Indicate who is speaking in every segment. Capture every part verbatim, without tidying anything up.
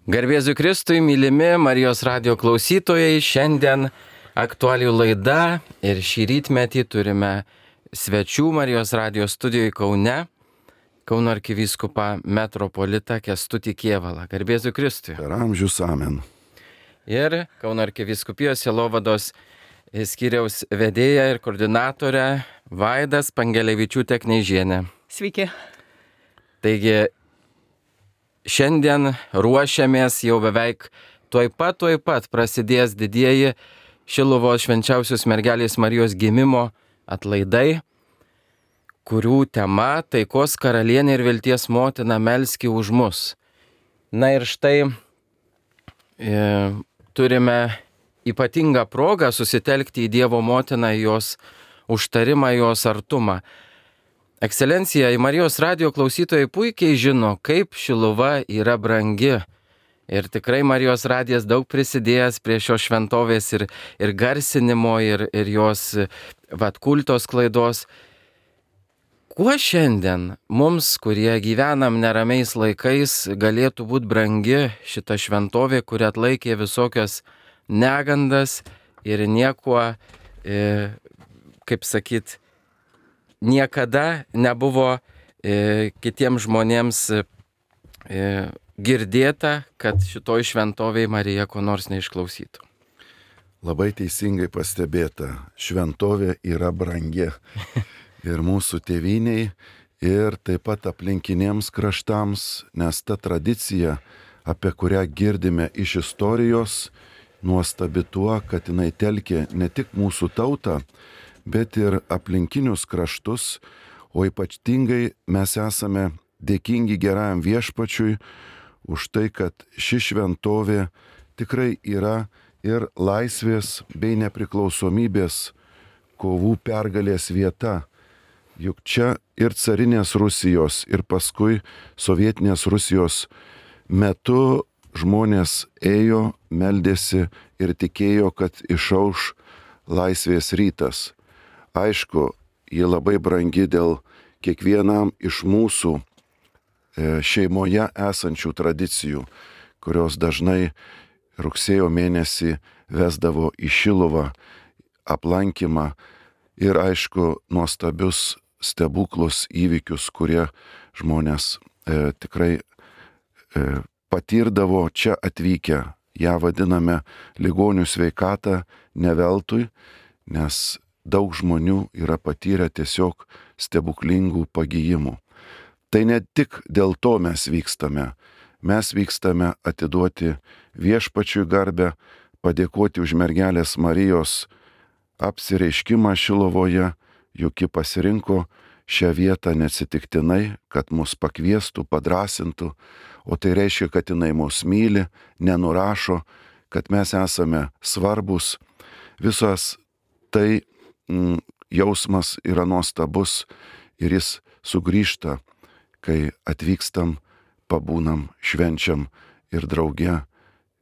Speaker 1: Garbėzui Kristui, mylimi Marijos radijo klausytojai, šiandien aktualijų laida ir šį rytmetį turime svečių Marijos radijo studijoje Kaune, Kauno arkivyskupą metropolitą Kęstutį Kėvalą. Garbėzui Kristui.
Speaker 2: Per amžius amen.
Speaker 1: Ir Kauno arkivyskupijos sielovados skyriaus vedėja ir koordinatorė Vaida Spangelevičiūtė Kneižienė.
Speaker 3: Sveiki.
Speaker 1: Taigi, šiandien ruošiamės jau beveik tuoj pat, tuoj pat prasidės didieji Šiluvos švenčiausios mergelės Marijos gimimo atlaidai, kurių tema taikos karalienė ir vilties motina melski už mus. Na ir štai e, turime ypatingą progą susitelkti į Dievo motiną, jos užtarimą, jos artumą. Ekscelencija, į Marijos radijo klausytojai puikiai žino, kaip Šiluva yra brangi. Ir tikrai Marijos radijas daug prisidėjęs prie šios šventovės ir, ir garsinimo, ir, ir jos vat, kultos klaidos. Kuo šiandien mums, kurie gyvenam neramiais laikais, galėtų būti brangi šita šventovė, kuri atlaikė visokias negandas ir niekuo, e, kaip sakyt, niekada nebuvo e, kitiems žmonėms e, girdėta, kad šitoj šventovėj Marija ko nors neišklausytų.
Speaker 2: Labai teisingai pastebėta, šventovė yra brangi ir mūsų tėvyniai, ir taip pat aplinkinėms kraštams, nes ta tradicija, apie kurią girdime iš istorijos, nuostabi tuo, kad jinai telkė ne tik mūsų tautą, bet ir aplinkinius kraštus, o ypatingai mes esame dėkingi gerajam viešpačiui už tai, kad ši šventovė tikrai yra ir laisvės bei nepriklausomybės kovų pergalės vieta. Juk čia ir carinės Rusijos, ir paskui sovietinės Rusijos metu žmonės ėjo, meldėsi ir tikėjo, kad išauš laisvės rytas. Aišku, ji labai brangi dėl kiekvienam iš mūsų šeimoje esančių tradicijų, kurios dažnai rugsėjo mėnesį vesdavo į Šiluvą aplankymą ir aišku nuostabius stebuklus įvykius, kurie žmonės e, tikrai e, patirdavo čia atvykę. Ja vadiname ligonių sveikatą ne veltui, nes daug žmonių yra patyrę tiesiog stebuklingų pagijimų. Tai ne tik dėl to mes vykstame. Mes vykstame atiduoti viešpačiui garbę, padėkoti už mergelės Marijos apsireiškimą Šiluvoje, juk ji pasirinko šią vietą neatsitiktinai, kad mus pakviestų, padrasintų, o tai reiškia, kad jinai mus myli, nenurašo, kad mes esame svarbus. Visas tai mm, jausmas yra nuostabus ir jis sugrįžta, kai atvykstam, pabūnam, švenčiam ir drauge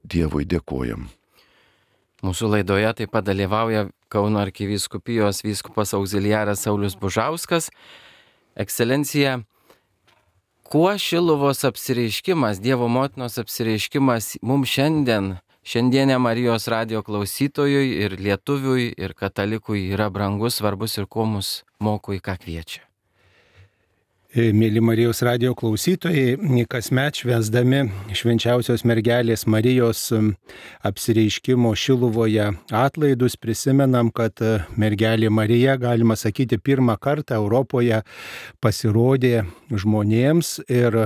Speaker 2: Dievui dėkojam.
Speaker 1: Mūsų laidoje taip pat dalyvauja Kauno arkivyskupijos vyskupas auxiliaras Saulius Bužauskas. Ekscelencija, kuo Šiluvos apsireiškimas, Dievo motinos apsireiškimas mums šiandien, šiandienė Marijos radijo klausytojui ir lietuviui ir katalikui yra brangus, svarbus ir kuo mus moko, į ką kviečia?
Speaker 4: Mėly Marijos radijo klausytojai, kasmet švęsdami švenčiausios mergelės Marijos apsireiškimo Šiluvoje atlaidus prisimenam, kad mergelė Marija, galima sakyti, pirmą kartą Europoje pasirodė žmonėms ir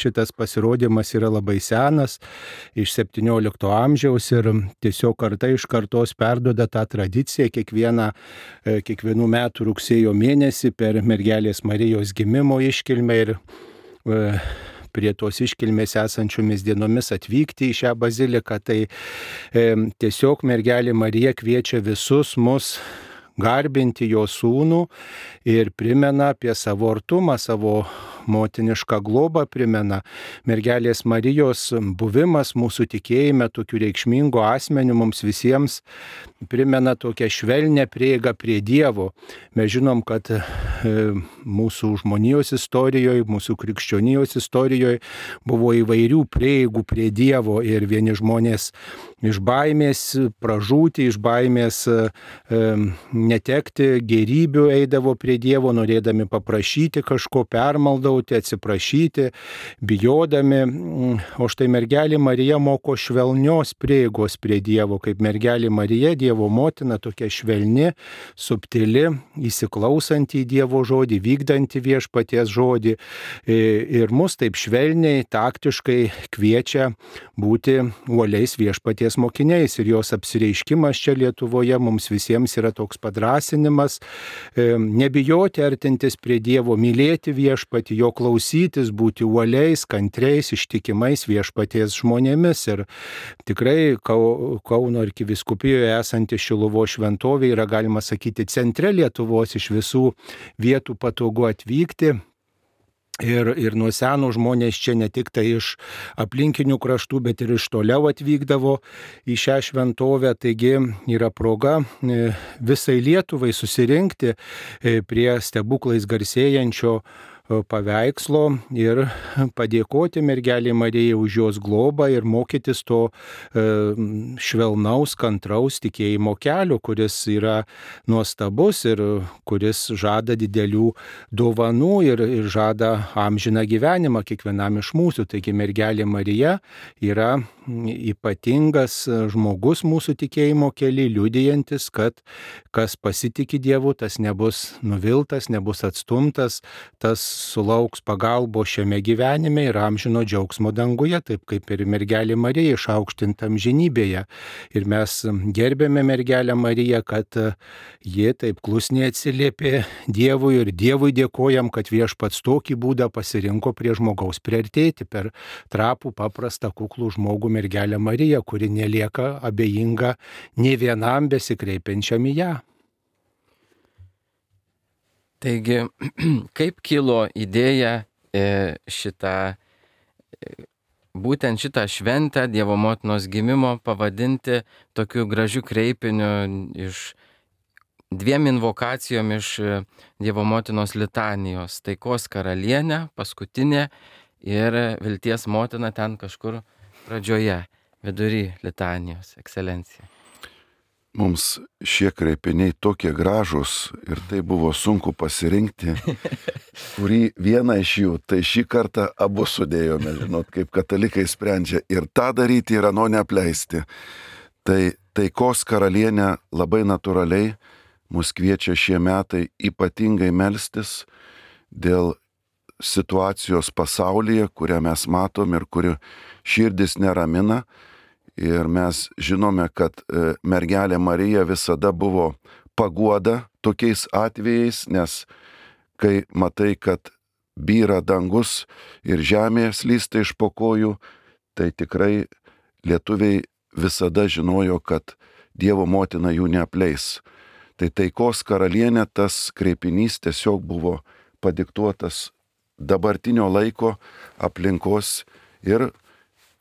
Speaker 4: šitas pasirodymas yra labai senas, iš septyniolikto amžiaus ir tiesiog karta iš kartos perduoda tą tradiciją kiekvieną, kiekvienų metų rugsėjo mėnesį per mergelės Marijos gimimo iškilmę ir e, prie tos iškilmės esančiomis dienomis atvykti į šią baziliką. Tai e, tiesiog mergelė Marija kviečia visus mus garbinti jo sūnų ir primena apie savo artumą, savo motinišką globą primena. Mergelės Marijos buvimas mūsų tikėjime tokiu reikšmingu asmeniu mums visiems primena tokią švelnę prieigą prie Dievo. Mes žinom, kad mūsų žmonijos istorijoje, mūsų krikščionijos istorijoje buvo įvairių prieigų prie Dievo ir vieni žmonės iš baimės pražūti, iš baimės e, netekti gerybių eidavo prie Dievo, norėdami paprašyti kažko, permaldauti, atsiprašyti, bijodami. O štai mergelė Marija moko švelnios prieigos prie Dievo, kaip mergelė Marija, Dievo motina, tokia švelni, subtili, įsiklausanti į Dievo žodį, vykdanti viešpaties žodį. Ir mus taip švelniai, taktiškai kviečia būti uoliais viešpaties mokiniais. Ir jos apsireiškimas čia Lietuvoje mums visiems yra toks padrasinimas, nebijoti artintis prie Dievo, mylėti viešpatį, jo klausytis, būti uoliais, kantriais, ištikimais viešpaties žmonėmis. Ir tikrai Kauno arkivyskupijoje esanti Šiluvos šventovė yra, galima sakyti, centre Lietuvos, iš visų vietų patogu atvykti. Ir, ir nuo senų žmonės čia ne tik tai iš aplinkinių kraštų, bet ir iš toliau atvykdavo į šią šventovę. Taigi yra proga visai Lietuvai susirinkti prie stebuklais garsėjančio paveikslo ir padėkoti mergelei Marijai už jos globą ir mokytis to švelnaus, kantraus tikėjimo kelio, kuris yra nuostabus ir kuris žada didelių dovanų ir, ir žada amžiną gyvenimą kiekvienam iš mūsų. Taigi mergelė Marija yra ypatingas žmogus mūsų tikėjimo kely, liudijantis, kad kas pasitiki Dievu, tas nebus nuviltas, nebus atstumtas, tas sulauks pagalbo šiame gyvenime ir amžino džiaugsmo danguje, taip kaip ir mergelė Marija išaukštinta amžinybėje. Ir mes gerbėme mergelę Mariją, kad ji taip klusniai atsiliepė Dievui ir Dievui dėkojam, kad viešpats tokį būdą pasirinko prie žmogaus priartėti per trapų, paprastą, kuklų žmogų mergelę Mariją, kuri nelieka abejinga nei vienam besikreipiančiam į ją.
Speaker 1: Taigi, kaip kilo idėja šitą, būtent šitą šventę Dievo motinos gimimo pavadinti tokiu gražiu kreipiniu iš dviem invokacijom iš Dievo motinos litanijos. Taikos karalienė, paskutinė, ir vilties motina ten kažkur pradžioje, vidury litanijos, ekscelencija.
Speaker 2: Mums šie kreipiniai tokie gražūs ir tai buvo sunku pasirinkti, kurį vieną iš jų, tai šį kartą abu sudėjome, žinot, kaip katalikai sprendžia ir tą daryti ir ano neapleisti. Tai taikos karalienė labai natūraliai mus kviečia šie metai ypatingai melstis dėl situacijos pasaulyje, kurią mes matom ir kuri širdis neramina. Ir mes žinome, kad mergelė Marija visada buvo paguoda tokiais atvejais, nes kai matai, kad byra dangus ir žemė slysta iš po kojų, tai tikrai lietuviai visada žinojo, kad Dievo motina jų neapleis. Tai taikos karalienė, tas kreipinys tiesiog buvo padiktuotas dabartinio laiko, aplinkos ir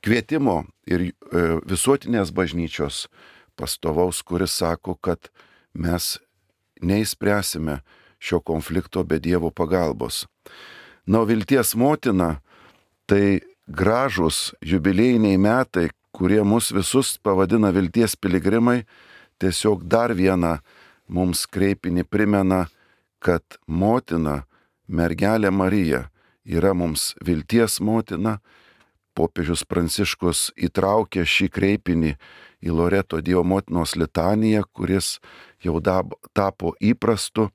Speaker 2: kvietimo ir visuotinės bažnyčios pastovaus, kuris sako, kad mes neišspręsime šio konflikto be Dievo pagalbos. Na, vilties motina, tai gražus jubiliejiniai metai, kurie mus visus pavadina vilties piligrimai, tiesiog dar vieną mums kreipinį primena, kad motina, mergelė Marija, yra mums vilties motina. Popiežius Pranciškus įtraukė šį kreipinį į Loreto Dievo motinos litaniją, kuris jau dab, tapo įprastu.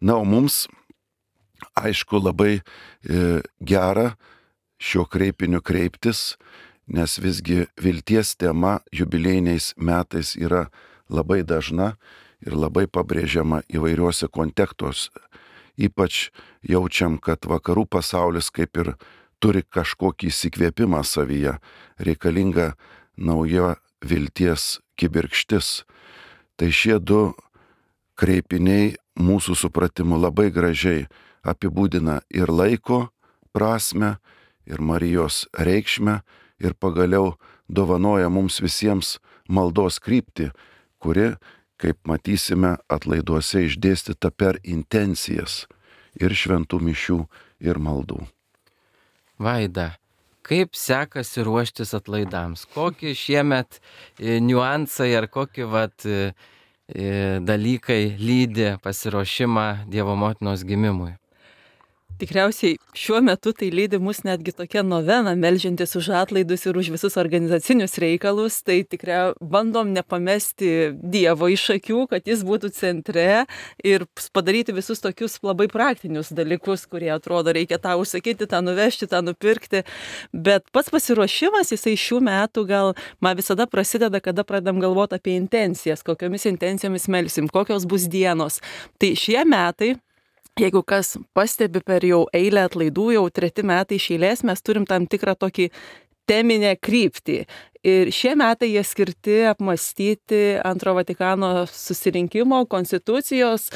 Speaker 2: Na, o mums, aišku, labai e, gera šio kreipiniu kreiptis, nes visgi vilties tema jubiliejiniais metais yra labai dažna ir labai pabrėžiama įvairiuose kontekstuose. Ypač jaučiam, kad vakarų pasaulis kaip ir turi kažkokį įsikvėpimą savyje, reikalinga nauja vilties kibirkštis. Tai šie du kreipiniai mūsų supratimu labai gražiai apibūdina ir laiko prasme ir Marijos reikšmę ir pagaliau dovanoja mums visiems maldos kryptį, kuri, kaip matysime, atlaiduose išdėstyta per intencijas ir šventų mišių ir maldų.
Speaker 1: Vaida, kaip sekasi ruoštis atlaidams? Kokie šiemet niuansai ar kokie vat, dalykai lydi pasiruošimą Dievo motinos gimimui?
Speaker 3: Tikriausiai šiuo metu tai lydi mus netgi tokia novena, melžiantis už atlaidus ir už visus organizacinius reikalus. Tai tikrai bandom nepamesti Dievo iš akių, kad jis būtų centre ir padaryti visus tokius labai praktinius dalykus, kurie atrodo reikia tą užsakyti, tą nuvežti, tą nupirkti. Bet pats pasiruošimas, jisai šių metų gal man visada prasideda, kada pradedam galvoti apie intencijas, kokiomis intencijomis melsim, kokios bus dienos. Tai šie metai, jeigu kas pastebi per jau eilę atlaidų, jau treti metai iš eilės, mes turim tam tikrą tokį teminę kryptį. Ir šie metai jie skirti apmastyti Antro Vatikano susirinkimo, konstitucijos,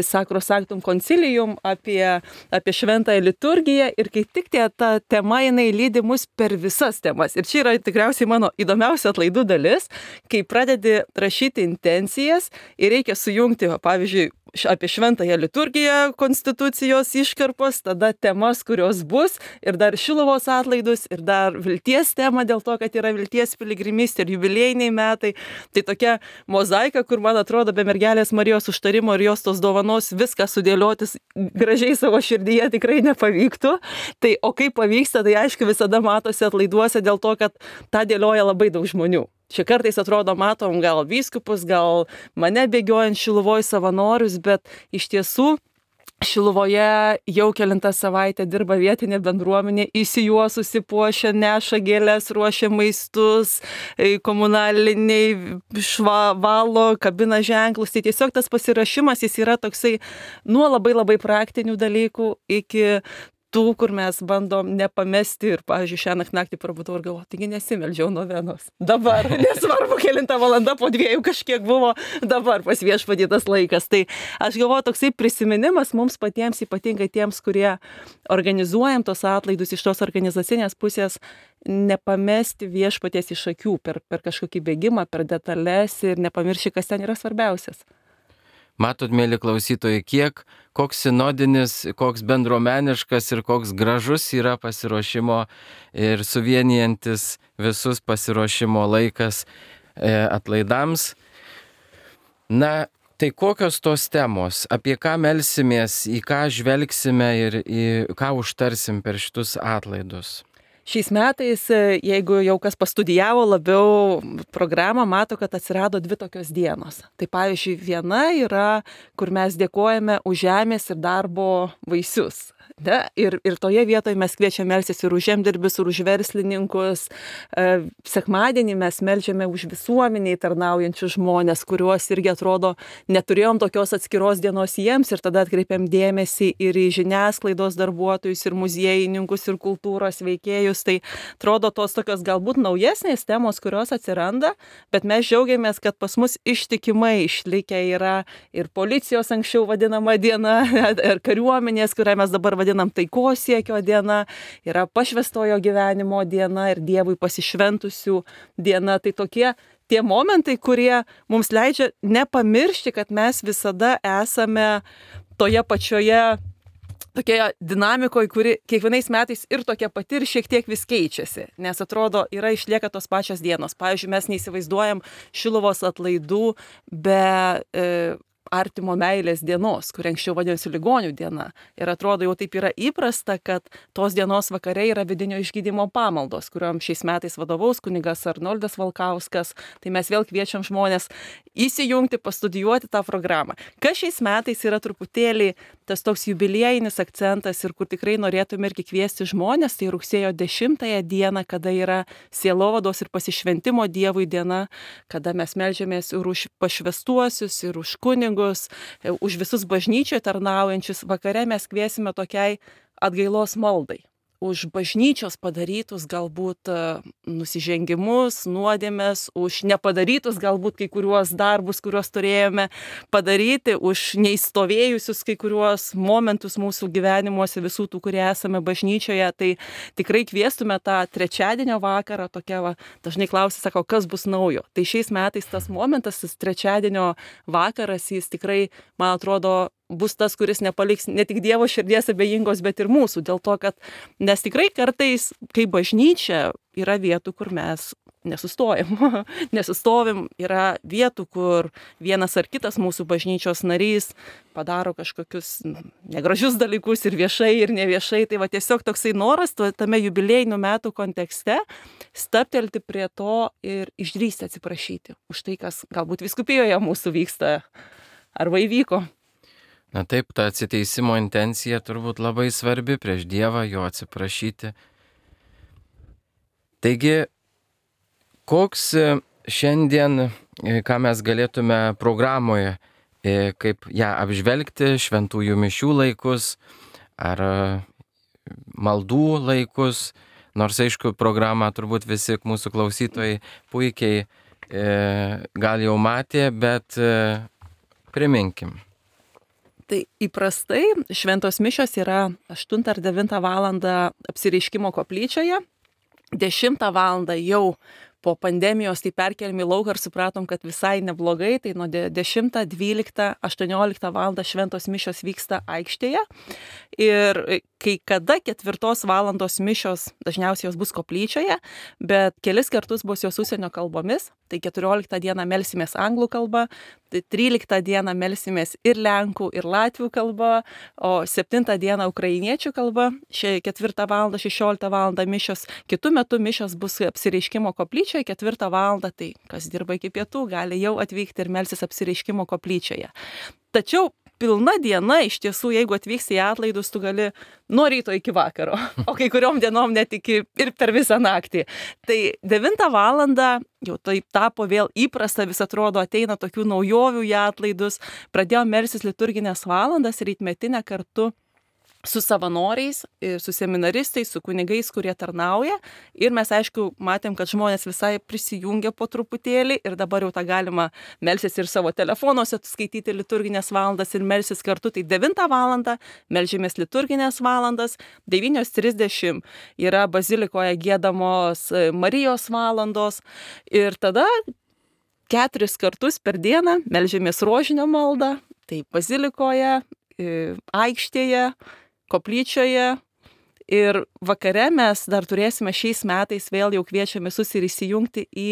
Speaker 3: Sacro Sanctum Concilium apie, apie šventąją liturgiją. Ir kai tik tie, ta tema jinai lydi mus per visas temas. Ir čia yra tikriausiai mano įdomiausia atlaidų dalis, kai pradedi rašyti intencijas ir reikia sujungti, pavyzdžiui, apie šventąją liturgiją, konstitucijos iškarpos, tada temas, kurios bus, ir dar Šiluvos atlaidus, ir dar vilties tema dėl to, kad yra vilties piligrimystė ir jubiliejiniai metai. Tai tokia mozaika, kur, man atrodo, be mergelės Marijos užtarimo ir jos tos dovanos viską sudėliotis gražiai savo širdyje tikrai nepavyktų. Tai o kaip pavyksta, tai aišku visada matosi atlaiduose dėl to, kad tą dėlioja labai daug žmonių. Čia kartais atrodo matom gal vyskupus, gal mane bėgiojant Šiluvoj savanorius, bet iš tiesų Šiluvoje jau kelintą savaitę dirba vietinė bendruomenė, įsijuosusi, puošia, neša gėles, ruošia maistus, komunaliniai švalo, kabina ženklus. Tai tiesiog tas pasirašymas jis yra toksai nuo labai labai praktinių dalykų iki tų, kur mes bandom nepamesti ir, pavyzdžiui, šią naktį prabudau ir galvoju, taigi nesimeldžiau novenos. Dabar, nesvarbu, kelintą valandą po dviejų kažkiek buvo, dabar pas viešpatį tas laikas. Tai aš galvoju, toksai prisiminimas mums patiems, ypatingai tiems, kurie organizuojam tos atlaidus iš tos organizacinės pusės, nepamesti viešpaties iš akių per, per kažkokį bėgimą, per detalės ir nepamiršti, kas ten yra svarbiausias.
Speaker 1: Matot, mėly klausytojai, kiek, koks sinodinis, koks bendruomeniškas ir koks gražus yra pasiruošimo ir suvienijantis visus pasiruošimo laikas e, atlaidams. Na, tai kokios tos temos, apie ką melsimės, į ką žvelgsime ir į ką užtarsim per šitus atlaidus?
Speaker 3: Šiais metais, jeigu jau kas pastudijavo labiau programą, mato, kad atsirado dvi tokios dienos. Tai pavyzdžiui, viena yra, kur mes dėkojame už žemės ir darbo vaisius. Ne? Ir, ir toje vietoje mes kviečiame melstis ir už žemdirbius, ir už verslininkus. Sekmadienį mes melžiame už visuomeniai tarnaujančius žmonės, kuriuos irgi atrodo neturėjom tokios atskiros dienos jiems ir tada atkreipiam dėmesį ir į žiniasklaidos darbuotojus, ir muziejininkus, ir kultūros veikėjus. Tai atrodo tos tokios galbūt naujesnės temos, kurios atsiranda, bet mes džiaugiamės, kad pas mus ištikimai išlikę yra ir policijos anksčiau vadinama diena, ir kariuomenės, kurią mes dabar vadinam taikos siekio diena, yra pašvestojo gyvenimo diena ir Dievui pasišventusių diena. Tai tokie tie momentai, kurie mums leidžia nepamiršti, kad mes visada esame toje pačioje tokioje dinamikoje, kuri kiekvienais metais ir tokia pati ir šiek tiek vis keičiasi, nes atrodo, yra išlieka tos pačios dienos. Pavyzdžiui, mes neįsivaizduojam Šiluvos atlaidų be e, artimo meilės dienos, kur anksčiau vadinosi ligonių diena. Ir atrodo, jau taip yra įprasta, kad tos dienos vakare yra vidinio išgydymo pamaldos, kuriuom šiais metais vadovaus kunigas Arnoldas Valkauskas. Tai mes vėl kviečiam žmonės įsijungti, pastudijuoti tą programą. Kas šiais metais yra truputėlį tas toks jubiliejinis akcentas ir kur tikrai norėtume irgi kviesti žmonės, tai rugsėjo dešimtąją dieną, kada yra sielovados ir pasišventimo Dievui diena, kada mes meldžiamės ir už pašvestuosius, ir už kunigus, už visus bažnyčioje tarnaujančius. Vakare mes kviesime tokiai atgailos maldai. už bažnyčios padarytus galbūt nusižengimus, nuodėmes, už nepadarytus galbūt kai kuriuos darbus, kuriuos turėjome padaryti, už neįstovėjusius kai kuriuos momentus mūsų gyvenimuose, visų tų, kurie esame bažnyčioje. Tai tikrai kviestume tą trečiadienio vakarą, tokia va, dažnai klausia, sako, kas bus naujo. Tai šiais metais tas momentas, tas trečiadienio vakaras, jis tikrai, man atrodo, bus tas, kuris nepaliks ne tik Dievo širdies abejingos, bet ir mūsų. Dėl to, kad nes tikrai kartais, kai bažnyčia, yra vietų, kur mes nesustojam. Nesustovim, yra vietų, kur vienas ar kitas mūsų bažnyčios narys padaro kažkokius negražius dalykus ir viešai, ir neviešai. Tai va tiesiog toksai noras tame jubiliejinių metų kontekste stabtelti prie to ir išdrįsti atsiprašyti už tai, kas galbūt vyskupijoje mūsų vyksta arba įvyko.
Speaker 1: Na taip, ta atsiteisimo intencija turbūt labai svarbi prieš Dievą, jo atsiprašyti. Taigi, koks šiandien, ką mes galėtume programoje, kaip ją apžvelgti, šventųjų mišių laikus ar maldų laikus, nors aišku, programą turbūt visi mūsų klausytojai puikiai gal jau matė, bet priminkim.
Speaker 3: Tai įprastai šventos mišios yra aštuntą ar devintą valandą apsireiškimo koplyčioje, dešimtą valandą jau po pandemijos tai perkeliam į lauką ir supratom, kad visai neblogai, tai nuo dešimtą, dvyliktą, aštuonioliktą valandą šventos mišios vyksta aikštėje. Ir kai kada ketvirtos valandos mišios, dažniausiai jos bus koplyčioje, bet kelis kartus bus jos užsienio kalbomis. Tai keturioliktą dieną melsimės anglų kalba, tai tryliktą dieną melsimės ir lenkų, ir latvių kalba, o septintą dieną ukrainiečių kalba, ketvirtą valandą, šešioliktą valandą mišios. Kitų metų mišios bus apsireiškimo koplyčioje, ketvirtą valandą, tai kas dirba iki pietų, gali jau atvykti ir melsis apsireiškimo koplyčioje. Tačiau pilna diena, iš tiesų, jeigu atvyksi į atlaidus, tu gali nuo ryto iki vakaro, o kai kuriom dienom net iki ir per visą naktį. Tai devintą valandą jau tai tapo vėl įprasta, vis atrodo, ateina tokių naujovių į atlaidus, pradėjo melsis liturginės valandas rytmetinę kartu su savanoriais, su seminaristais, su kunigais, kurie tarnauja. Ir mes, aišku, matėm, kad žmonės visai prisijungia po truputėlį ir dabar jau tą galima melsis ir savo telefonuose, skaityti liturginės valandas ir melsis kartu. Tai devintą valandą melžimės liturginės valandas, devynios trisdešimt yra bazilikoje giedamos Marijos valandos ir tada keturis kartus per dieną melžimės rožinio maldą, tai bazilikoje, aikštėje, koplyčioje ir vakare mes dar turėsime šiais metais vėl jau kviečiame visus ir įsijungti į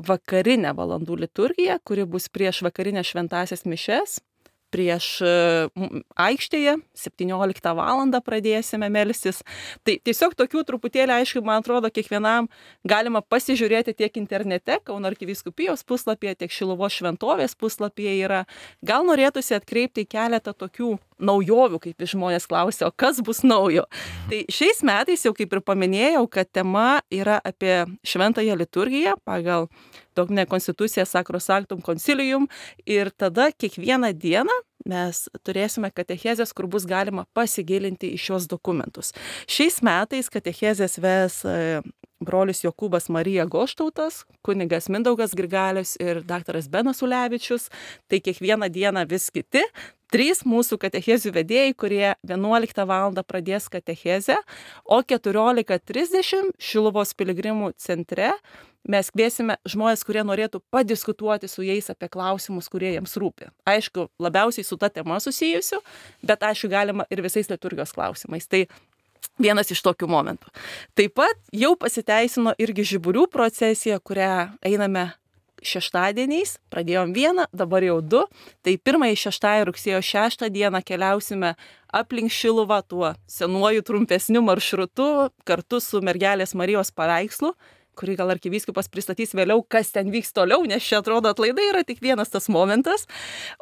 Speaker 3: vakarinę valandų liturgiją, kuri bus prieš vakarinę šventąsias mišias. Prieš aikštėje septynioliktą valandą pradėsime melstis. Tai tiesiog tokių truputėlį, aišku, man atrodo, kiekvienam galima pasižiūrėti tiek internete, Kauno arkivyskupijos puslapyje, tiek Šiluvos šventovės puslapyje yra. Gal norėtųsi atkreipti keletą tokių naujovių, kaip žmonės klausia, o kas bus naujo. Tai šiais metais jau kaip ir paminėjau, kad tema yra apie šventąją liturgiją pagal dogminę konstituciją Sacro Sanctum Concilium ir tada kiekvieną dieną mes turėsime katechezės, kur bus galima pasigilinti į šios dokumentus. Šiais metais katechezės ves brolis Jokūbas Marija Goštautas, kunigas Mindaugas Grigalius ir daktaras Benas Ulevičius. Tai kiekvieną dieną vis kiti. Trys mūsų katechezių vedėjai, kurie vienuoliktą valandą pradės katechezę, o keturiolika trisdešimt Šiluvos piligrimų centre mes kviesime žmonės, kurie norėtų padiskutuoti su jais apie klausimus, kurie jiems rūpi. Aišku, labiausiai su ta tema susijusiu, bet aišku, galima ir visais liturgijos klausimais. Tai vienas iš tokių momentų. Taip pat jau pasiteisino irgi žiburių procesija, kurią einame šeštadieniais, pradėjom vieną, dabar jau du. Tai pirmąjį šeštąjį rugsėjo šeštą dieną keliausime aplink Šiluvą tuo senuoju trumpesniu maršrutu kartu su Mergelės Marijos paveikslu, kurį gal arkivyskupas pristatys vėliau, kas ten vyks toliau, nes čia atrodo atlaidai yra tik vienas tas momentas.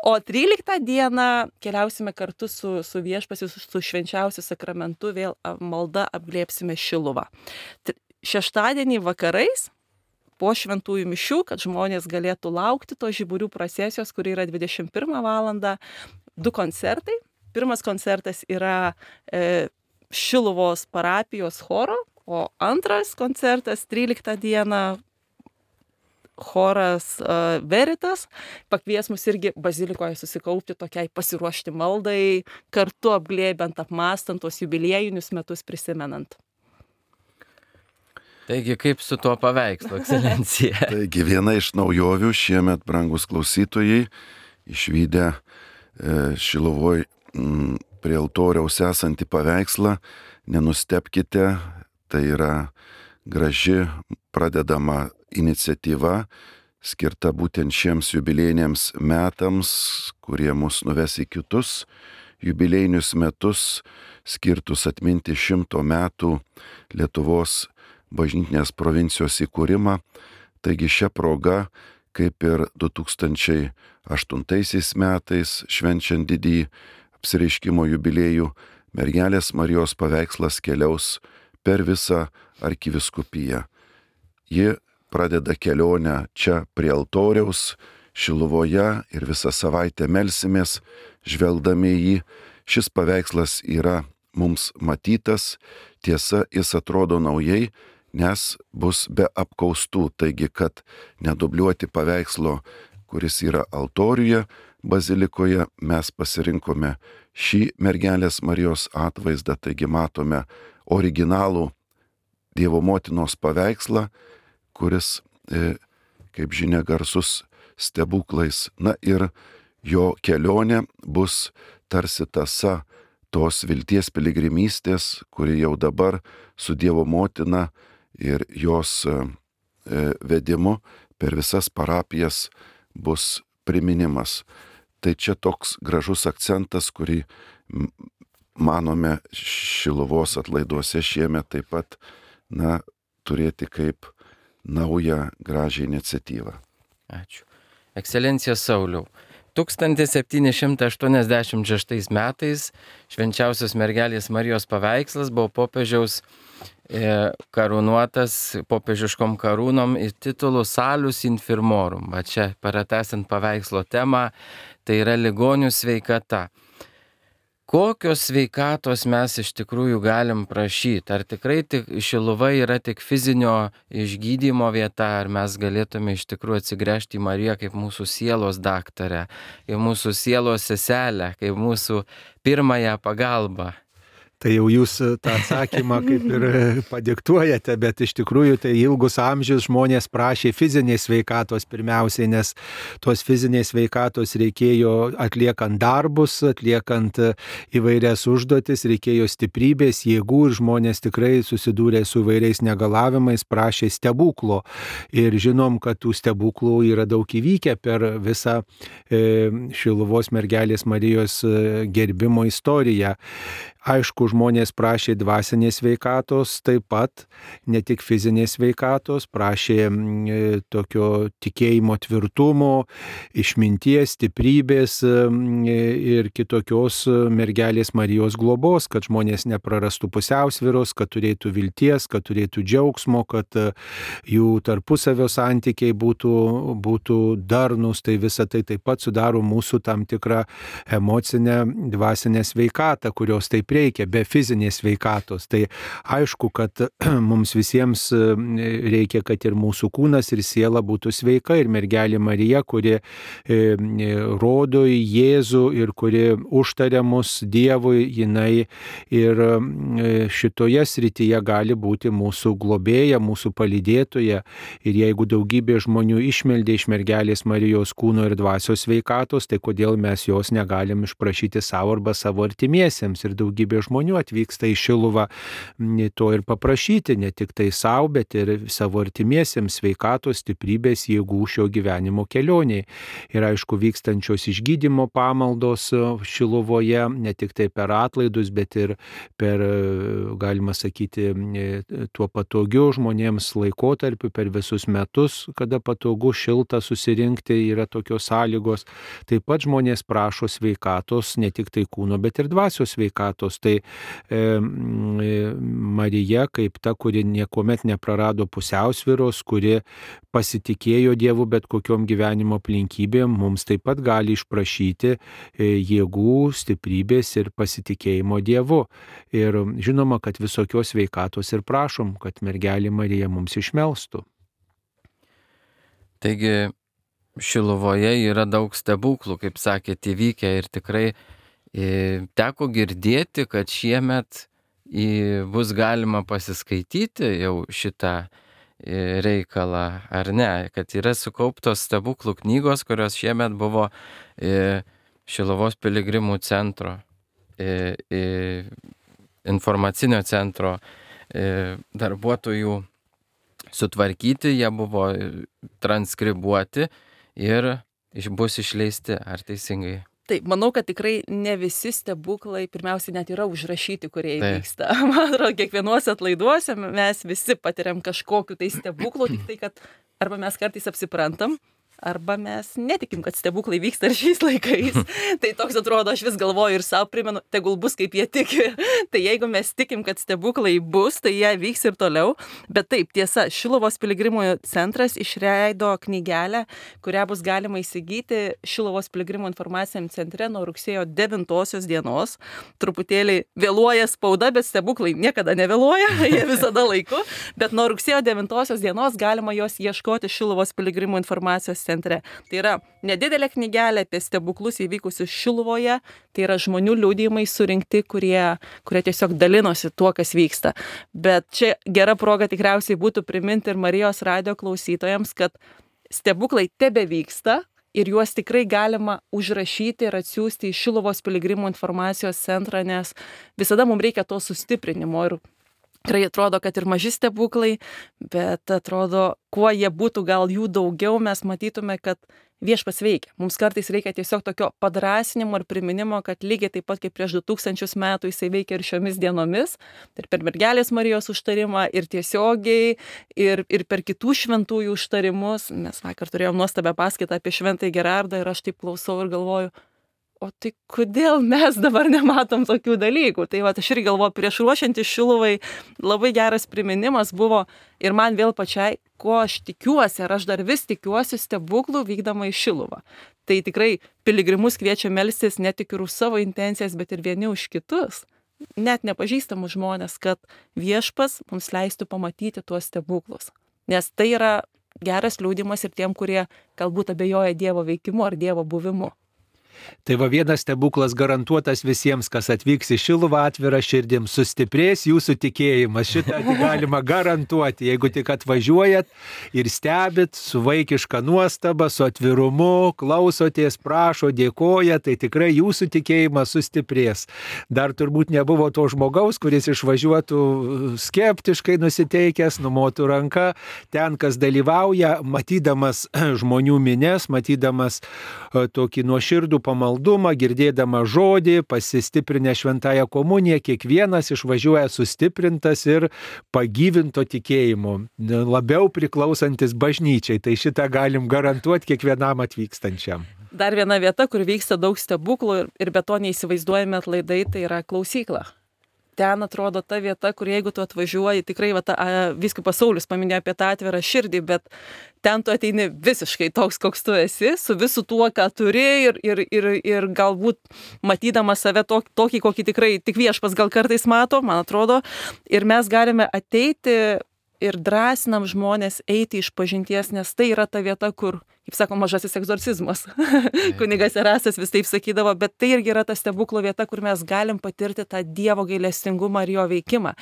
Speaker 3: O tryliktą dieną keliausime kartu su, su viešpasiu, su švenčiausiu sakramentu, vėl malda apglėpsime Šiluvą. Šeštadienį vakarais po šventųjų mišių, kad žmonės galėtų laukti to žiburių procesijos, kuri yra dvidešimt pirmą valandą, du koncertai. Pirmas koncertas yra e, Šiluvos parapijos choro, o antras koncertas tryliktą dieną choras uh, Veritas pakvies mus irgi bazilikoje susikaupti tokiai pasiruošti maldai, kartu apglėbiant, apmastant tos jubiliejinius metus prisimenant.
Speaker 1: Taigi kaip su tuo paveikslu, ekscelencija?
Speaker 2: Taigi viena iš naujovių šiemet, brangus klausytojai, išvydę e, Šiluvoj m, prie altoriaus esantį paveikslą, nenustepkite, tai yra graži pradedama iniciatyva, skirta būtent šiems jubiliejiniams metams, kurie mus nuves į kitus jubiliejinius metus, skirtus atminti šimto metų Lietuvos bažnytinės provincijos įkūrimą. Taigi šią progą, kaip ir du tūkstančiai aštuntaisiais metais, švenčiant didįjį apsireiškimo jubiliejų, Mergelės Marijos paveikslas keliaus per visą arkiviskupiją. Ji pradeda kelionę čia prie altoriaus, Šiluvoje ir visą savaitę melsimės, žvelgdami į jį. Šis paveikslas yra mums matytas, tiesa, jis atrodo naujai, nes bus be apkaustų, taigi, kad nedubliuoti paveikslo, kuris yra altoriuje, bazilikoje, mes pasirinkome šį Mergelės Marijos atvaizdą, taigi matome originalų Dievo motinos paveikslą, kuris, e, kaip žinia, garsus stebuklais. Na ir jo kelionė bus tarsi tąsa tos vilties piligrimystės, kuri jau dabar su Dievo motina ir jos e, vedimu per visas parapijas bus priminimas. Tai čia toks gražus akcentas, kurį manome Šiluvos atlaiduose šiemet taip pat na, turėti kaip naują gražią iniciatyvą.
Speaker 1: Ačiū. Ekscelencija Sauliau, tūkstantis septyni šimtai aštuoniasdešimt šeštais metais švenčiausios Mergelės Marijos paveikslas buvo popiežiaus e, karūnuotas popiežiškom karūnom ir titulu Salus Infirmorum. Va čia, pratęsiant paveikslo temą, tai yra ligonių sveikata. Kokios sveikatos mes iš tikrųjų galim prašyti? Ar tikrai tik Šiluva yra tik fizinio išgydymo vieta, ar mes galėtume iš tikrųjų atsigręžti į Mariją kaip mūsų sielos daktarę, kaip mūsų sielos seselę, kaip mūsų pirmąją pagalbą?
Speaker 4: Tai jau jūs tą atsakymą kaip ir padiktuojate, bet iš tikrųjų tai ilgus amžius žmonės prašė fizinės sveikatos pirmiausiai, nes tos fizinės sveikatos reikėjo atliekant darbus, atliekant įvairias užduotis, reikėjo stiprybės, jėgų ir žmonės tikrai susidūrė su įvairiais negalavimais, prašė stebuklo. Ir žinom, kad tų stebuklų yra daug įvykę per visą e, Šiluvos Mergelės Marijos gerbimo istoriją. Aišku, žmonės prašė dvasinės sveikatos taip pat, ne tik fizinės sveikatos, prašė e, tokio tikėjimo tvirtumo, išminties, stiprybės e, ir kitokios Mergelės Marijos globos, kad žmonės neprarastų pusiausvyros, kad turėtų vilties, kad turėtų džiaugsmo, kad e, jų tarpusavio santykiai būtų, būtų darnus. Tai visa tai taip pat sudaro mūsų tam tikrą emocinę, dvasinę sveikatą, kurios taip reikia, be fizinės sveikatos. Tai aišku, kad mums visiems reikia, kad ir mūsų kūnas ir siela būtų sveika, ir Mergelė Marija, kuri rodo į Jėzų ir kuri užtaria mus Dievui, jinai ir šitoje srityje gali būti mūsų globėja, mūsų palydėtoja. Ir jeigu daugybė žmonių išmeldė iš Mergelės Marijos kūno ir dvasios sveikatos, tai kodėl mes jos negalim išprašyti savo arba savo artimiesiems? Ir daugybė žmonių atvyksta į Šiluvą to ir paprašyti, ne tik tai savo, bet ir savo artimiesiems sveikatos, stiprybės, jėgų šio gyvenimo kelioniai. Ir aišku, vykstančios išgydymo pamaldos Šiluvoje, ne tik tai per atlaidus, bet ir per, galima sakyti, tuo patogiu žmonėms laikotarpiu, per visus metus, kada patogu, šilta susirinkti, yra tokios sąlygos. Taip pat žmonės prašo sveikatos, ne tik tai kūno, bet ir dvasios sveikatos. Kristaus. Tai e, Marija kaip ta, kuri niekuomet neprarado pusiausvyros, kuri pasitikėjo Dievu bet kokiom gyvenimo aplinkybėm, mums taip pat gali išprašyti jėgų, stiprybės ir pasitikėjimo Dievu. Ir žinoma, kad visokios sveikatos ir prašom, kad mergelė Marija mums išmelstų.
Speaker 1: Taigi Šiluvoje yra daug stebuklų, kaip sakėte, įvykę ir tikrai e, teko girdėti, kad šiemet e, bus galima pasiskaityti jau šitą e, reikalą, ar ne, kad yra sukauptos stebuklų knygos, kurios šiemet buvo e, Šiluvos piligrimų centro, e, e, informacinio centro e, darbuotojų sutvarkyti, jie buvo transkribuoti ir bus išleisti, ar teisingai?
Speaker 3: Taip, manau, kad tikrai ne visi stebuklai pirmiausia net yra užrašyti, kurie įvyksta. Man atrodo, kiekvienuose atlaiduose mes visi patiriam kažkokiu tai stebuklų, tik tai, kad arba mes kartais apsiprantam, arba mes netikim, kad stebuklai vyksta ir šiais laikais. Tai toks atrodo, aš vis galvoju ir savo primenu, tegul bus kaip jie tiki. Tai jeigu mes tikim, kad stebuklai bus, tai jie vyks ir toliau. Bet taip, tiesa, Šiluvos piligrimų centras išleido knygelę, kurią bus galima įsigyti Šiluvos piligrimų informaciniam centre nuo rugsėjo devintosios dienos. Truputėlį vėluoja spauda, bet stebuklai niekada nevėluoja, jie visada laiku. Bet nuo rugsėjo devintosios dienos galima jos ieškoti Šiluvos piligrimų informacijos centre. Tai yra nedidelė knygelė apie stebuklus įvykusius Šiluvoje, tai yra žmonių liudijimai surinkti, kurie, kurie tiesiog dalinosi tuo, kas vyksta. Bet čia gera proga tikriausiai būtų priminti ir Marijos radijo klausytojams, kad stebuklai tebe vyksta ir juos tikrai galima užrašyti ir atsiųsti į Šiluvos piligrimų informacijos centrą, nes visada mums reikia to sustiprinimo ir tikrai atrodo, kad ir maži stebuklai, bet atrodo, kuo jie būtų, gal jų daugiau, mes matytume, kad viešpats veikia. Mums kartais reikia tiesiog tokio padrasinimo ir priminimo, kad lygiai taip pat kaip prieš du tūkstančius metų jisai veikia ir šiomis dienomis, ir per mergelės Marijos užtarimą, ir tiesiogiai, ir, ir per kitų šventųjų užtarimus. Mes vakar turėjom nuostabią paskaitą apie šventąjį Gerardą ir aš taip klausau ir galvoju, o tai kodėl mes dabar nematom tokių dalykų? Tai va, aš irgi galvoju, prieš ruošiantis Šiluvai labai geras priminimas buvo ir man vėl pačiai, ko aš tikiuosi, ar aš dar vis tikiuosi stebuklų vykdama į Šiluvą. Tai tikrai piligrimus kviečia melstis ne tik ir už savo intencijas, bet ir vieni už kitus, net nepažįstamus žmonės, kad viešpas mums leistų pamatyti tuos stebuklus. Nes tai yra geras liudijimas ir tiem, kurie galbūt abejoja Dievo veikimu ar Dievo buvimu.
Speaker 4: Tai va vienas stebuklas garantuotas visiems, kas atvyks į Šiluvą atvira širdim, sustiprės jūsų tikėjimas. Šitą galima garantuoti, jeigu tik atvažiuojat ir stebit su vaikiška nuostaba, su atvirumu, klausotės, prašo, dėkoja, tai tikrai jūsų tikėjimas sustiprės. Dar turbūt nebuvo to žmogaus, kuris išvažiuotų skeptiškai nusiteikęs, numotų ranką. Ten, kas dalyvauja, matydamas žmonių mines, matydamas tokį nuoširdų pamaldumą, girdėdama žodį, pasistiprinę šventąją komuniją, kiekvienas išvažiuoja sustiprintas ir pagyvinto tikėjimu, labiau priklausantis bažnyčiai. Tai šitą galim garantuoti kiekvienam atvykstančiam.
Speaker 3: Dar viena vieta, kur vyksta daug stebuklų ir be to neįsivaizduojame atlaidai, tai yra klausykla. Ten atrodo ta vieta, kur jeigu tu atvažiuoji, tikrai va, ta, vyskupas Saulius paminėjo apie tą atvirą širdį, bet ten tu ateini visiškai toks, koks tu esi, su visu tuo, ką turi ir, ir, ir, ir galbūt matydamas save tokį, tokį, kokį tikrai tik viešpas gal kartais mato, man atrodo, ir mes galime ateiti ir drąsinam žmonės eiti iš pažinties, nes tai yra ta vieta, kur, kaip sako, mažasis egzorcizmas. Kunigas Erastas vis taip sakydavo, bet tai irgi yra ta stebuklo vieta, kur mes galim patirti tą Dievo gailestingumą ir jo veikimą.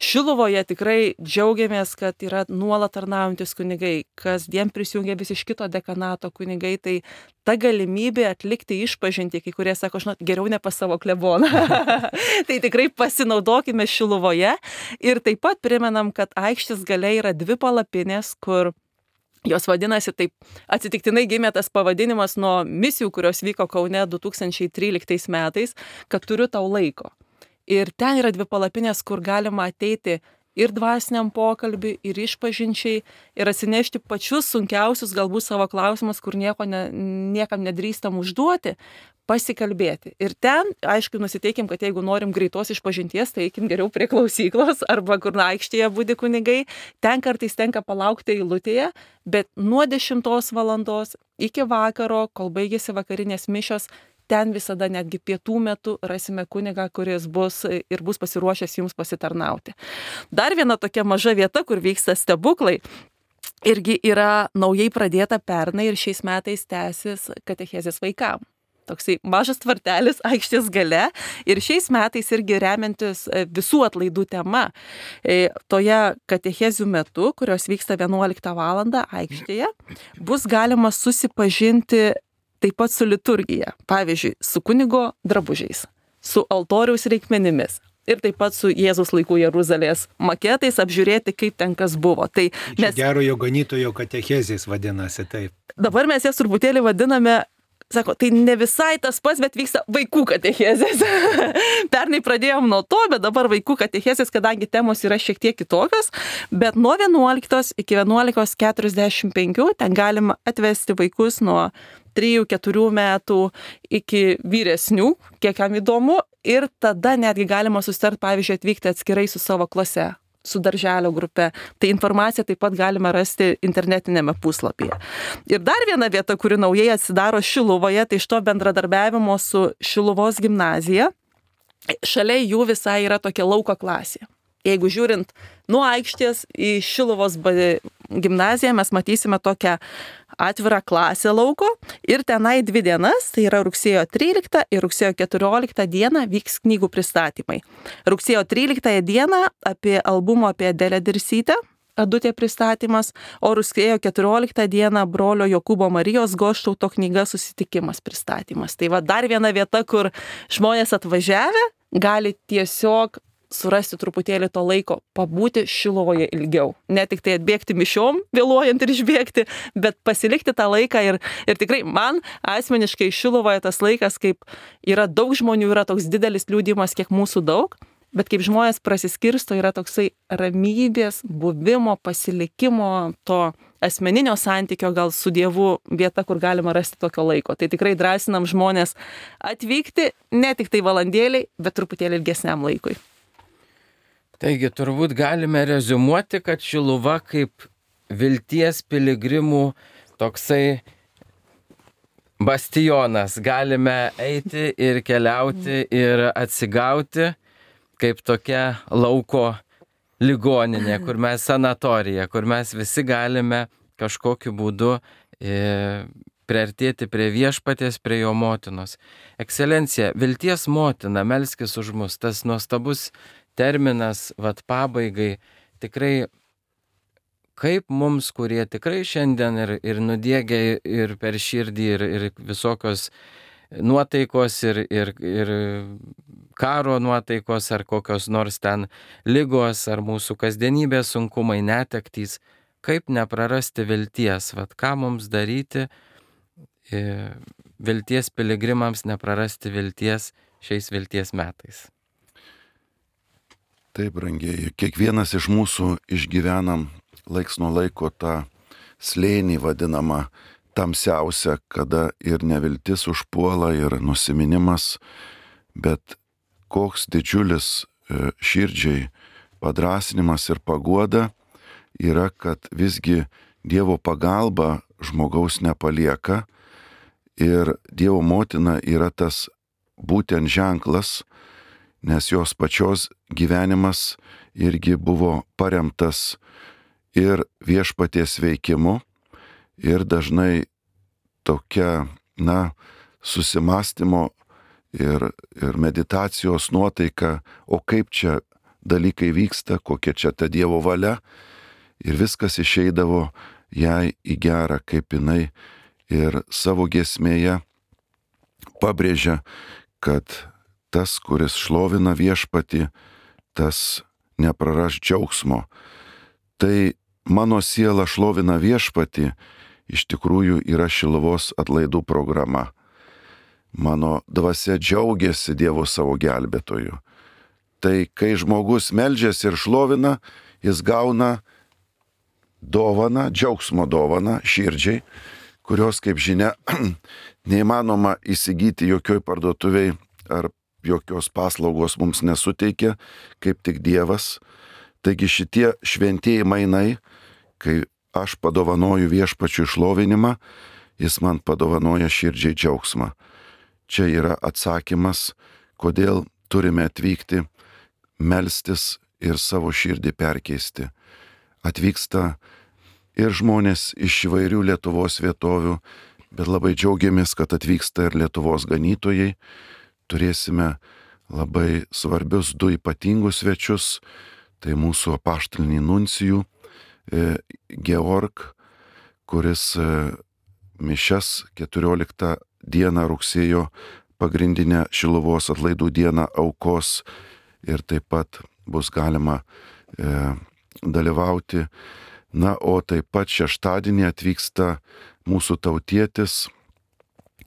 Speaker 3: Šiluvoje tikrai džiaugiamės, kad yra nuolat tarnaujantis kunigai, kasdien prisijungia vis iš kito dekanato kunigai, tai ta galimybė atlikti išpažintį, kai kurie sako, žinot, geriau ne pas savo kleboną. Tai tikrai pasinaudokime Šiluvoje ir taip pat primenam, kad aikštės gale yra dvi palapinės, kur jos vadinasi taip, atsitiktinai gimė tas pavadinimas nuo misijų, kurios vyko Kaune du tūkstančiai tryliktais metais, kad turiu tau laiko. Ir ten yra dvi palapinės, kur galima ateiti ir dvasiniam pokalbiui, ir išpažinčiai, ir atsinešti pačius sunkiausius galbūt savo klausimus, kur nieko ne, niekam nedrįstam užduoti, pasikalbėti. Ir ten, aišku, nusiteikim, kad jeigu norim greitos išpažinties, tai eikim geriau prie klausyklos arba kur aikštėje budi kunigai. Ten kartais tenka palaukti eilutėje, bet nuo dešimtos valandos iki vakaro, kol baigėsi vakarinės mišios, ten visada netgi pietų metu rasime kunigą, kuris bus ir bus pasiruošęs jums pasitarnauti. Dar viena tokia maža vieta, kur vyksta stebuklai, irgi yra naujai pradėta pernai ir šiais metais tęsis katechezės vaikam. Toksai mažas tvartelis aikštės gale ir šiais metais irgi remiantis visų atlaidų tema. Toje katechezių metu, kurios vyksta vienuoliktą valandą aikštėje, bus galima susipažinti taip pat su liturgija. Pavyzdžiui, su kunigo drabužiais, su altoriaus reikmenimis. Ir taip pat su Jėzaus laikų Jeruzalės maketais apžiūrėti, kaip ten kas buvo. Tai mes...
Speaker 4: Gerojo ganytojo katechezės vadinasi taip.
Speaker 3: Dabar mes jas truputėlį vadiname, sako, tai ne visai tas pats, bet vyksta vaikų katechezės. Pernai pradėjom nuo to, bet dabar vaikų katechezės, kadangi temos yra šiek tiek kitokios, bet nuo vienuoliktos iki vienuolikos keturiasdešimt penkių ten galima atvesti vaikus nuo trijų keturių metų iki vyresnių, kiek kam įdomu, ir tada netgi galima susitart, pavyzdžiui, atvykti atskirai su savo klase, su darželio grupe. Tai informaciją taip pat galime rasti internetinėme puslapyje. Ir dar viena vieta, kuri naujai atsidaro Šiluvoje, tai iš to bendradarbiavimo su Šiluvos gimnazija. Šalia jų visai yra tokia lauko klasė. Jeigu žiūrint nuo aikštės į Šiluvos gimnaziją, mes matysime tokią atvirą klasę lauko ir tenai dvi dienas, tai yra rugsėjo tryliktą ir rugsėjo keturioliktą dieną vyks knygų pristatymai. Rugsėjo tryliktąją dieną apie albumą apie Adelę Dirsytę, Adutė pristatymas, o rugsėjo keturioliktą dieną brolio Jokūbo Marijos Goštauto knyga Susitikimas pristatymas. Tai va dar viena vieta, kur žmonės atvažiavę gali tiesiog surasti truputėlį to laiko, pabūti Šiluvoje ilgiau. Ne tik tai atbėgti mišiom, vėluojant ir išbėgti, bet pasilikti tą laiką ir, ir tikrai man asmeniškai Šiluvoje tas laikas, kaip yra daug žmonių, yra toks didelis liūdimas, kiek mūsų daug, bet kaip žmonės prasiskirsto, yra toksai ramybės, buvimo, pasilikimo, to asmeninio santykio gal su Dievu vieta, kur galima rasti tokio laiko. Tai tikrai drąsinam žmonės atvykti ne tik tai valandėliai, bet truputėlį ilgesniam laikui.
Speaker 1: Taigi turbūt galime reziumuoti, kad Šiluva kaip vilties piligrimų toksai bastionas. Galime eiti ir keliauti ir atsigauti kaip tokia lauko ligoninė, kur mes sanatorija, kur mes visi galime kažkokiu būdu e, priartėti prie viešpaties, prie jo motinos. Ekscelencija, vilties motina, melskis už mus, tas nuostabus terminas, vat pabaigai, tikrai kaip mums, kurie tikrai šiandien ir, ir nudiegia ir per širdį, ir, ir visokios nuotaikos, ir, ir, ir karo nuotaikos, ar kokios nors ten ligos, ar mūsų kasdienybės sunkumai, netektys, kaip neprarasti vilties, vat ką mums daryti, vilties piligrimams neprarasti vilties šiais vilties metais.
Speaker 2: Taip, brangieji, kiekvienas iš mūsų išgyvenam laiks nuo laiko tą slėnį vadinamą tamsiausią, kada ir neviltis užpuola, ir nusiminimas, bet koks didžiulis širdžiai padrasinimas ir paguoda yra, kad visgi Dievo pagalba žmogaus nepalieka ir Dievo motina yra tas būtent ženklas, nes jos pačios gyvenimas irgi buvo paremtas ir viešpaties veikimu, ir dažnai tokia, na, susimastymo ir, ir meditacijos nuotaika, o kaip čia dalykai vyksta, kokia čia ta Dievo valia, ir viskas išeidavo jai į gerą, kaip jinai ir savo giesmėje pabrėžia, kad tas, kuris šlovina viešpatį, tas nepraras džiaugsmo. Tai mano siela šlovina viešpatį, iš tikrųjų yra Šiluvos atlaidų programa. Mano dvasia džiaugiasi Dievo savo gelbėtoju. Tai kai žmogus meldžiasi ir šlovina, jis gauna dovaną, džiaugsmo dovaną širdžiai, kurios, kaip žinia, neįmanoma įsigyti jokioj parduotuviai ar jokios paslaugos mums nesuteikia, kaip tik Dievas. Taigi šitie šventieji mainai, kai aš padovanoju viešpačiui šlovinimą, jis man padovanoja širdžiai džiaugsmą. Čia yra atsakymas, kodėl turime atvykti, melstis ir savo širdį perkeisti. Atvyksta ir žmonės iš įvairių Lietuvos vietovių, bet labai džiaugiamės, kad atvyksta ir Lietuvos ganytojai. Turėsime labai svarbius du ypatingus svečius, tai mūsų apaštalinį nuncijų Georg, kuris mišias keturioliktą dieną rugsėjo pagrindinę Šiluvos atlaidų dieną aukos ir taip pat bus galima e, dalyvauti. Na, o taip pat šeštadienį atvyksta mūsų tautietis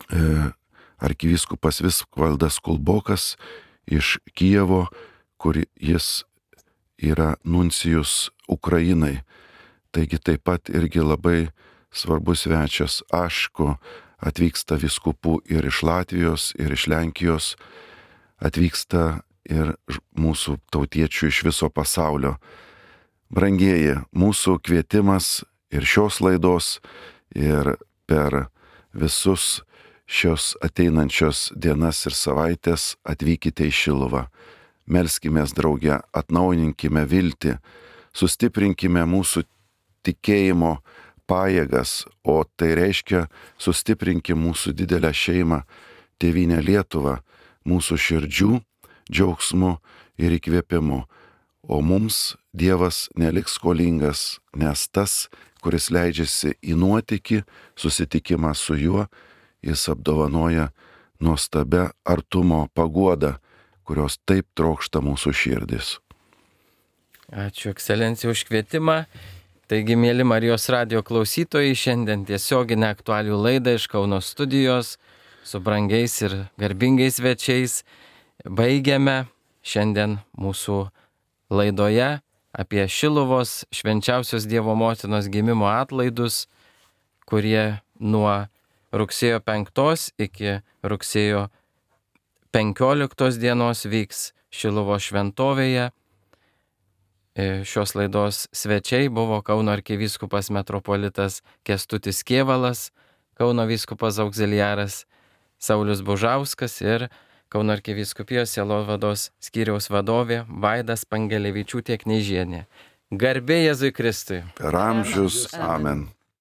Speaker 2: e, arkivyskupas Visvaldas Kulbokas iš Kijevo, kur jis yra nuncijus Ukrainai. Taigi taip pat irgi labai svarbus svečias. Aišku, atvyksta vyskupų ir iš Latvijos, ir iš Lenkijos, atvyksta ir mūsų tautiečių iš viso pasaulio. Brangieji, mūsų kvietimas ir šios laidos, ir per visus šios ateinančios dienas ir savaitės atvykite į Šiluvą. Melskimės drauge, atnaujinkime viltį, sustiprinkime mūsų tikėjimo pajėgas, o tai reiškia sustiprinkime mūsų didelę šeimą, tėvynę Lietuvą, mūsų širdžių džiaugsmu ir įkvėpimu. O mums Dievas neliks skolingas, nes tas, kuris leidžiasi į nuotykį, susitikimą su juo, jis apdovanoja nuostabę artumo paguodą, kurios taip trokšta mūsų širdis.
Speaker 1: Ačiū, ekscelencija, už kvietimą. Taigi, mėly Marijos radijo klausytojai, šiandien tiesioginę aktualių laidą iš Kauno studijos su brangiais ir garbingais svečiais baigiame šiandien mūsų laidoje apie Šiluvos švenčiausios Dievo motinos gimimo atlaidus, kurie nuo rugsėjo penktos iki rugsėjo penkioliktos dienos vyks Šiluvos šventovėje. Šios laidos svečiai buvo Kauno arkivyskupas metropolitas Kęstutis Kėvalas, Kauno vyskupas auxiliaras Saulius Bužauskas ir Kauno arkivyskupijos sielovados skyriaus vadovė Vaida Spangelevičiūtė Kneižienė. Garbė Jėzui Kristui.
Speaker 2: Per amžius. Amen.